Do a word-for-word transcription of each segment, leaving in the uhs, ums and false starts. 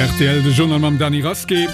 Rtl, de Journal mam Dany Rasqué.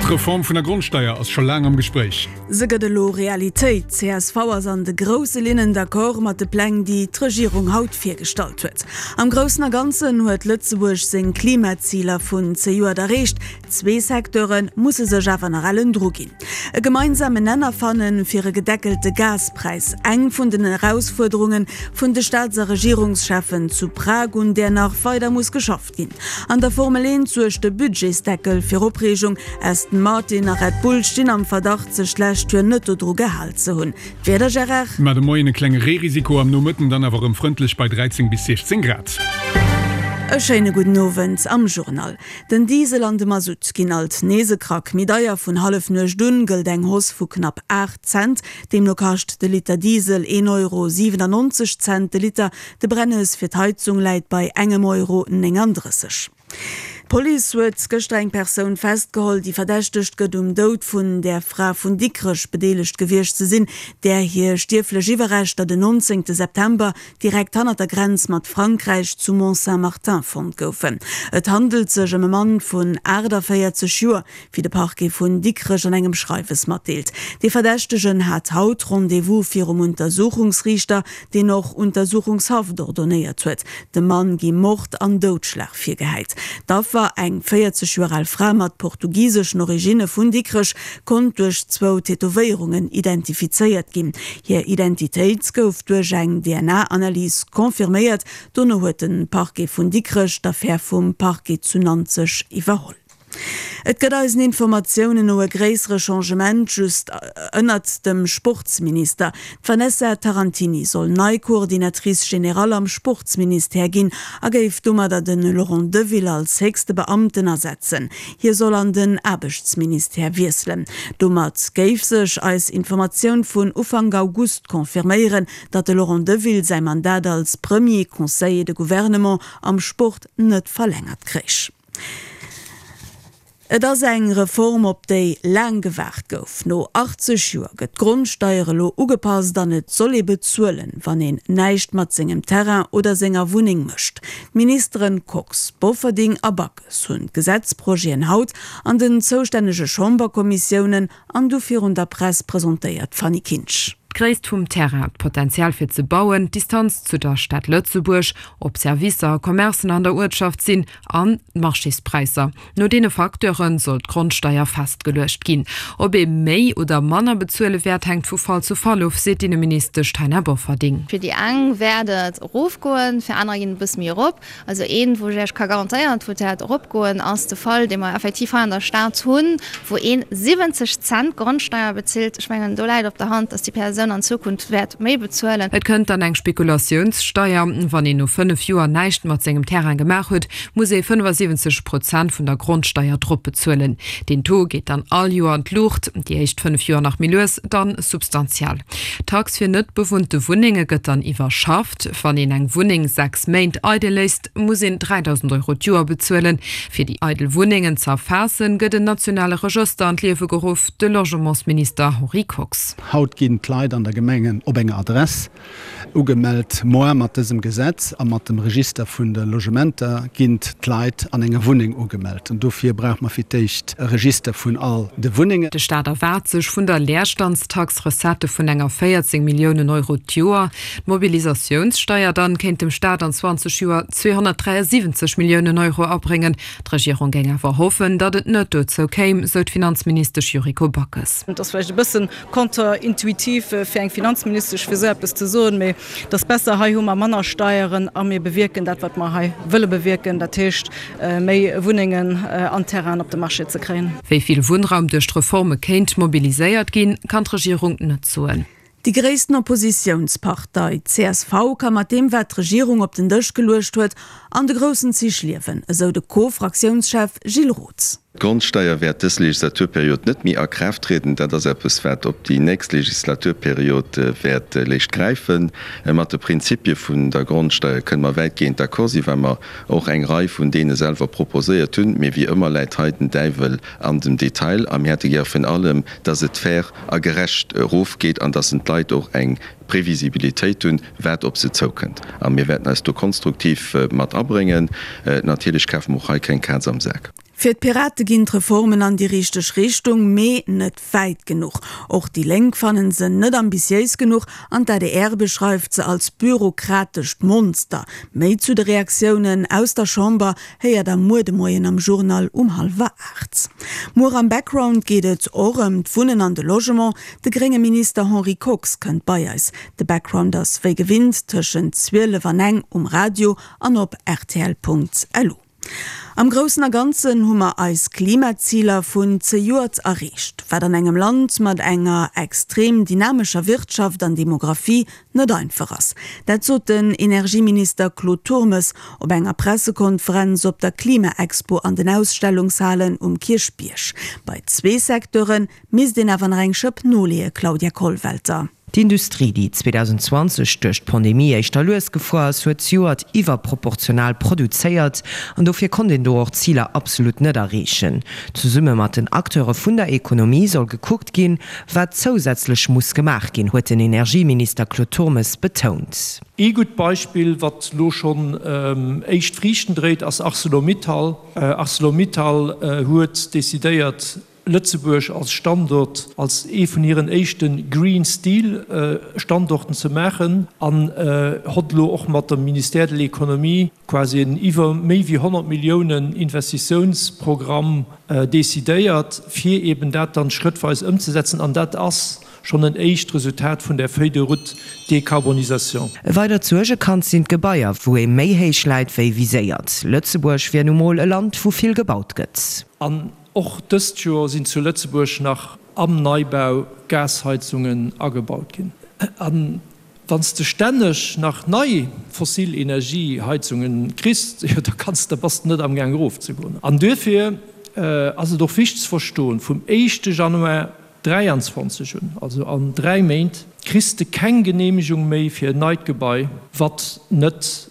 D'Reform vun der Grondsteier ass scho laang am Gespréich. Se gëtt elo Realitéit. Csv ass an de grousse Linnen d'accord mat de Pläng, déi d'Regierung haut virgestallt huet. Am Groussen a Ganzen huet Lëtzebuerg seng Klimaziler vun zejoert erreecht. Zwee Secteure musse sech awer nach ellen dru ginn. E gemeinsamen Nenner fanne fir e gedeckelte Gaspräis, eng vun den Erausfuerderunge vun de Staats a Regierungscheffen zu Prag, un där nach weider muss geschafft ginn. An der Formel eent suergt de Budgetsdeckel fir Opreegung. Aston Martin a Red Bull stinn am Verdacht, sech d'lescht Joer net dodru gehal ze hunn. D'Wieder, Gérard? Mar de Moien e klenge Reerisiko, am Nomëtten dann awer erëm frëndlech bei dräizéng bis siechzéng Grad. E schéine gudden Owend am Journal. Den Diesel an de Masutt ginn alt nees e Krack méi deier. Vun Hallefnuecht un gëllt eng Hausse vu knapp aacht Cent. Deemno kascht de Liter Diesel een Euro siwenannonzeg Cent de Liter. De Brennes fir d'Heizung läit bei engem Euro néngandrësseg. D'Police huet gëschter eng Persoun festgeholl, déi verdächtegt gëtt, um Doud vun där Fra vun Dikrech bedeelegt gewiescht ze sinn, där hir stierflech Iwwerreschter den nonzéngte September direkt hannert der Grenz mat Frankräich zu Mont-Saint-Martin fonnt goufen. Et handelt sech ëm e Mann vun aachtavéierzeg Joer, wéi de Parquet vun Dikrech an engem Schreiwes matdeelt. Dee Verdächtegen hat haut Rendez-vous virum Untersuchungsriichter, deen och Untersuchungshaft ordonéiert huet. Dem Mann gi Mord an Doudschlag virgehäit. D'Affer, eng véierzeg Joer al Fra mat portugiseschen Originne vun Dikrech, konnt duerch zwou Tätowéierungen identifizéiert ginn. Hir Identitéit gouf duerch eng D N A-Analys confirméiert. Dono huet de Parquet vun Dikrech d'Affär vum Parquet zu Nanzeg iwwerholl. Et gëtt eisen Informatiounen no e gréissere Changement just ënnert dem Sportsminister. D'Vanessa Tarantini soll nei Coordinatrice générale am Sportsministère ginn a géif domadder de Laurent Deville als héchste Beamten ersetzen. Hie soll an den Aarbechtsministère wiesselen. Domat géif sech eis Informatioun vun Ufank August confirméieren, datt de Laurent Deville säi Mandat als Premier Conseiller de Gouvernement am Sport net verlängert kréich. Et ass eng Reform, op déi laang gewaart gouf. No achtzeg Joer gëtt d'Grondsteier elo ugepasst an et soll ee bezuelen, wann een näischt mat sengem Terrain oder senger Wunneng mécht. D'Ministeren Kox, Bofferding a Backes hunn d'Gesetzprojeten haut an den zoustännege Chamberkommissiounen an du virun der Press presentéiert. Fanny Kinsch. D'Gréisst vum Terrain, d'Potenzial fir ze bauen, d'Distanz zu der Stad Lëtzebuerg, ob Servicer a Commercen an der Uertschaft sinn an d'Marchéspräisser. No deene Facteure soll d'Grondsteier festgeluecht ginn. Ob ee méi oder manner bezuele wäert, hänkt vu Fall zu Fall of, seet d'Inneministesch Taina Bofferding. Fir déi eng wäert et erofgoen, fir anerer ginn et e bësse méi erop. Also een, wou ech Iech ka garantéieren, wou et wäert eropgoen, ass de Fall, dee mer effektiv hei an der Stad hunn, wou een siwwenzeg Cent Grondsteier bezilt. Ech mengen, do läit op der Hand, dass déi Persoun an Zukunft wäert méi bezuelen. Et kënnt dann eng Spekulatiounssteier. Wann een no fënnef Joer näischt mat sengem Terrain gemaach huet, muss ee fënnefasiwwenzeg Prozent vun der Grondsteier drop bezuelen. Deen Taux geet dann all Joer an d'Luucht, déi éischt fënnef Joer nach méi lues, dann substantiell. D'Tax fir net bewunnte Wunnenge gëtt dann iwwerschafft. Wann een eng Wunneng sechs Méint eidel léisst, muss een dräidausend Euro d'Joer bezuelen. Fir déi eidel Wunnengen ze erfaassen, gëtt en nationale Regëster an d'Liewe geruff, de Logementsminister Henri Kox. Haut ginn d'Leit an der Gemengen op enger Adress ugemellt. Moar mat dësem Gesetz a mat dem Register vun de Logementer ginn d'Leit an enger Wunneng ugemellt. An dofir brauche mer fir d'éischt e Register vun all de Wunnengen. De Staat erwaart sech vun der Leerstandstax Recettë vun enger véierzéng Milliounen Euro d'Joer. D'Mobilisatiounssteier dann kéint dem Staat an zwanzeg Joer zweehonnertdräiasiwwenzeg Milliounen Euro abréngen. D'Regierung géing awer hoffen, datt et net dozou kéim, sou d'Finanzministesch Yuriko Backes. Et ass vläicht e bësse contre-intuitiv fir eng Finanzministesch, fir esou eppes ze soen, mee et ass besser, hei hu mer manner Steieren a mir bewierken dat, wat mer hei wëlle bewierken, dat heescht méi Wunnengen an Terrainen op de Marché ze kréien. Wéi vill Wunnraum duerch d'Reforme kéint mobiliséiert ginn, kann d'Regierung net soen. Déi gréissten Oppositiounspartei csv ka mat deem, wat d'Regierung op den Dësch geluecht huet, an de groussen Zich liewen, esou de Co-Fraktiounschef Gilles Roth. D'Grondsteier wäert dës Legislaturperiod net méi a Kraaft trieden. Dat ass eppes, wat op déi nächst Legislaturperiod wäert léischt gräifen. Mat de Prinzipie vun der Grondsteier kënne mer wäitgehend d'accord sinn, well mer och eng Rei vun deene selwer proposéiert hunn. Mee wéi ëmmer läit hei den Däiwel an dem Detail a mir hätte gär virun allem, dass et fair a gerecht erofgeet an dass en d'Leit och eng Previsibilitéit hunn, wat op se zoukënnt. A mir wäerten eis do konstruktiv mat abréngen. Natierlech kafe mer och hei keng Kaz am Sak. Fir d'Pirate ginn d'Reformen an déi richteg Richtung, mee net wäit genuch. Och déi Lénk fannen se net ambitiéis genuch an d'ADR beschreift se als bürokratescht Monster. Méi zu de Reaktiounen aus der Chamber héiert der muer de Moien am Journal um hallwer aacht. Muer am Background geet et och ëm d'Wunnen an de Logement. De grénge Minister Henri Kox kënnt bei eis. De Background ass wéi gewinnt tëschent zwielef an eng um Radio an op rtl.lu. Am Groussen a Ganzen hu mer eis Klimaziler vun zejoert erreecht, wat an engem Land mat enger extrem dynamescher Wirtschaft an Demografie net einfach ass. Dat sot den Energieminister Claude Turmes op enger Pressekonferenz op der Klima-Expo an den Ausstellungshalen um Kierchbierg. Bei zwee Secteure misst een awer nach eng Schëpp noleeën, Claudia Kollwelter. D'Industrie, déi zweedausendzwanzeg duerch d'Pandemie éischter lues gefuer ass, huet zejoert iwwerproportional produzéiert an dofir konnt een do och d'Ziler absolut net erreechen. Zesumme mat den Acteure vun der Ekonomie soll gekuckt ginn, wat zousätzlech muss gemaach ginn, huet den Energieminister Claude Turmes betount. Ee gutt Beispill, wat elo schonn éischt Friichten dréit, ass Arcelor-Mittal. Arcelor-Mittal huet decidéiert, Lëtzebuerg als Standort, als ee vun hiren éischte Green Steel Standorten ze maachen an hott elo och mat dem Ministère de l'Économie quasi en iwwer méi wéi honnert Milliounen Investitiounsprogramm decidéiert, fir eben dat dann schrëttweis ëmzesetzen. An dat ass schonn en éischt Resultat vun där Feuille de route décarbonisation. E weidert Suergekand sinn d'Gebaier, wou ee méi héich läit wéi viséiert. Lëtzebuerg wier nu mol e Land, wou vill gebaut gëtt. An och dëst Joer sinn zu Lëtzebuerg nach am Neibau Gasheizungen agebaut ginn. A wann s de stänneg nach nei fossil Energieheizunge kriss, jo da kanns, da bass de net amgaang erofzegoen. An duerfir ass et och wichteg ze verstoen, vum éischte Januar dräianzwanzeg un, also an dräi Méint, kriss de keng Geneemegung méi fir en neit Gebai, wat net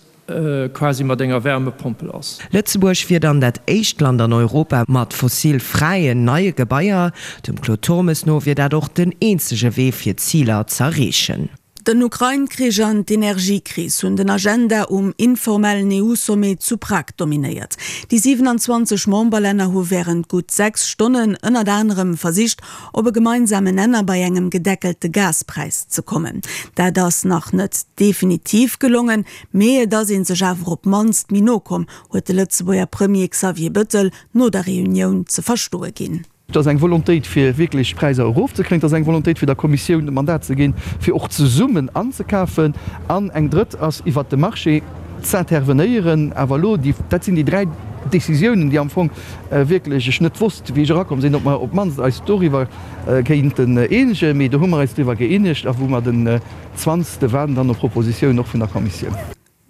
quasi mat enger Wärmepompel ass. Lëtzebuerg wier dann dat éischt Land an Europa mat fossil-fräien neie Gebaier. Dem Claude Turmes no wier dat och den eenzege Wee fir d'Ziler z'erreechen. Den Ukrain-Krich an d'Energiekris hunn den Agenda um informellen E U-Sommet zu Prag dominéiert. Déi siwenanzwanzeg Memberlänner hu wärend gutt sechs Stonnen ënnert anerem versicht, op e gemeinsamen Nenner bei engem gedeckelte Gaspräis ze kommen. Dat ass nach net definitiv gelongen, mee et ass ee sech awer op d'mannst méi no komm, huet de Lëtzebuerger Premier Xavier Bettel no der Reunioun ze verstoe ginn. Et ass eng Volontéit, fir wierklech d'Präisser erofzekréien. Et ass eng Volontéit, fir der Kommissioun de Mandat ze ginn, fir och zesummen anzekafen. An eng drëtt ass, iwwert de Marché z'intervenéieren. Awer elo, déi, dat sinn déi dräi Décisiounen, déi am Fong wierklech ech net wosst, wéi ech erakomm sinn, ob mer op d'mannst eis doriwwer kéinten eenegen. Mee do hu mer eis driwwer gëeenegt a wou mer den zwanzegste waarden dann op Propositiounen och vun der Kommissioun.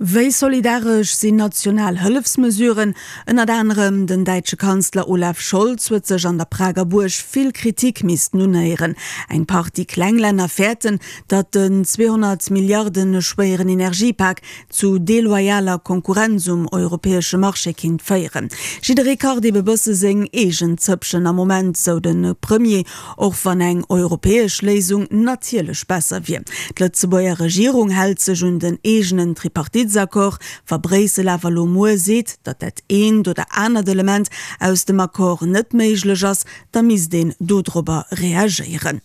Wéi solidaresch sinn national Hëllefsmesuren? Ënnert anerem den däitsche Kanzler Olaf Scholz huet sech an der Prager Buerg vill Kritik missten unhéieren. Eng Partie kleng Länner fäerten, datt den zweehonnert Milliarden schwéieren Energiepak zu deloyaler Konkurrenz um europäesche Marché kinnt féieren. Jidderee kacht ebe bësse seng eegen Zëppchen am Moment, sou de Premier, och wann eng europäesch Léisung natierlech besser wier. D'Lëtzebuerger Regierung hält sech un den eegenen Tripartitesaccord. Wa Bréissel awer elo muer seet, datt dat eent oder anert Element aus dem Accord net méiglech ass, da misst een dodrobber reagéieren.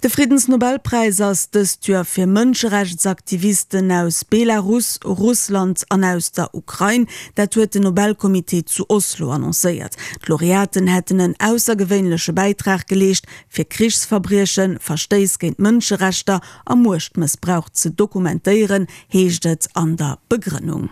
De Friddensnobelpräis ass dëst Joer fir Mënscherechtsaktivisten aus Belarus, Russland an aus der Ukrain. Dat huet den Nobelcomité zu Oslo annoncéiert. D'Laureaten hätten en aussergewéinleche Bäitrag geleescht, fir Krichsverbriechen, Verstéiss géint d'Mënscherechter a Muechtmëssbrauch ze dokumentéieren, heescht et an der Begrënnung.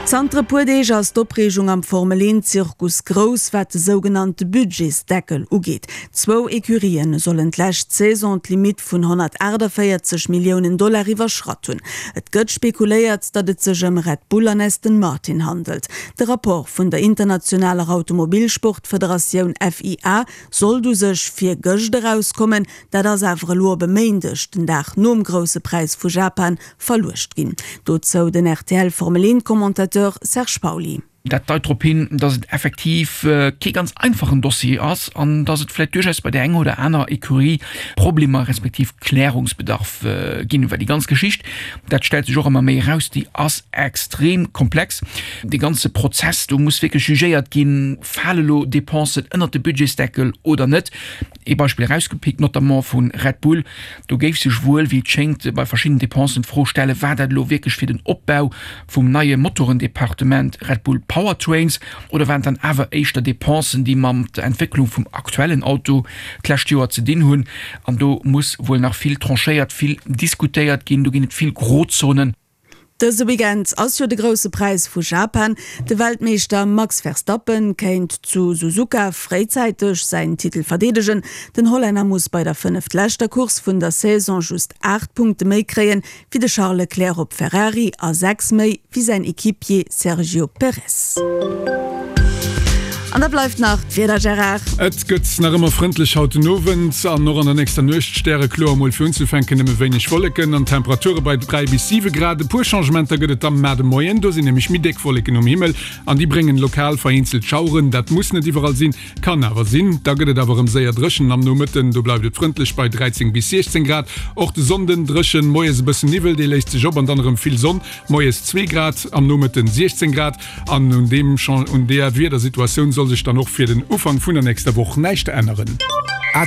Zanter e puer Deeg ass d'Opreegung am Formel-Eent-Zirkus grouss, wat de sougenannte Budgetsdeckel ugeet. Zwou Ecurien sollen d'lescht Saison d'Limitt vun honnertaachtavéierzeg Milliounen Dollar iwwerschratt hunn. Et gëtt spekuléiert, datt et sech ëm Red Bull an Aston Martin handelt. De Rapport vun der internationaler Automobilsportfederatioun F I A sollt u sech virgëscht erauskommen, dat ass awer elo op e Méindeg, den Dag nom Grousse Präis vu Japan, verluecht ginn. Dozou den R T L Formel-Eent-Commentateur Serge Pauly. Dat deit drop hin, dass et effektiv kee ganz einfachen Dossier ass an dass et vläicht duerchaus bei där enger oder anerer Ecurie Problemer respektiv Klärungsbedarf ginn. Well déi ganz Geschicht, dat stellt sech och ëmmer méi eraus, déi ass extrem komplex. Dee ganze Prozess, do muss wierklech jugéiert ginn, Fale lo Dépensen ënnert de Budgetsdeckel oder net? Ee Beispill erausgepickt, notamment vu Red Bull, do géif sech wuel, wéi et schéngt, bei verschiddenen Dépensen d'Fro stellen, War dat elo wierklech fir den Opbau vum neie Motorendepartement Red Bull Powertrains oder waren et dann awer éischter Dépensen, déi mam der Entwécklung vum aktuellen Auto d'lescht Joer ze dinn hunn? An do muss wuel nach vill tranchéiert, vill diskutéiert ginn, do ginn et vill Grozonen. Dëse Weekend ass jo de Grousse Präis vu Japan. De Weltmeeschter Max Verstappen kéint zu Suzuka fréizäiteg säin Titel verdeedegen. Den Hollänner muss bei der fënneftleschter Course vun der Saison just aacht Punkte méi kréien, wéi de Charles Leclerc op Ferrari a sechs méi wéi säin Equipier Sergio Perez. An da bleift nach d'Wieder, Gérard. Et gëtt nach ëmmer frëndlech haut den Owend an och an der nächster Nuecht. Stärekloer, mol fir unzefänken nëmme wéineg Wolleken an Temperature bei dräi bis siwe Grad. E puer Changementer gëtt et da mar de Moien, do sinn nämlech méi déck Wolleken um Himmel an déi bréngen lokal vereenzelt Schaueren. Dat muss net iwwerall sinn, kann awer sinn. Da gëtt et awer erëm séier dréchen am Nomëtten, do bleift et frëndlech bei dräizéng bis siechzéng Grad. Och de Sonnden dréchen, moies e bëssen Niwwel, dee léist sech op an dann erëm vill Sonn, moies zwee Grad, am Nomëtten siechzéng Grad. An un deem un deeër Wiedersituatioun soll sech dann och fir den Ufank vun der nächster Woch näischt änneren.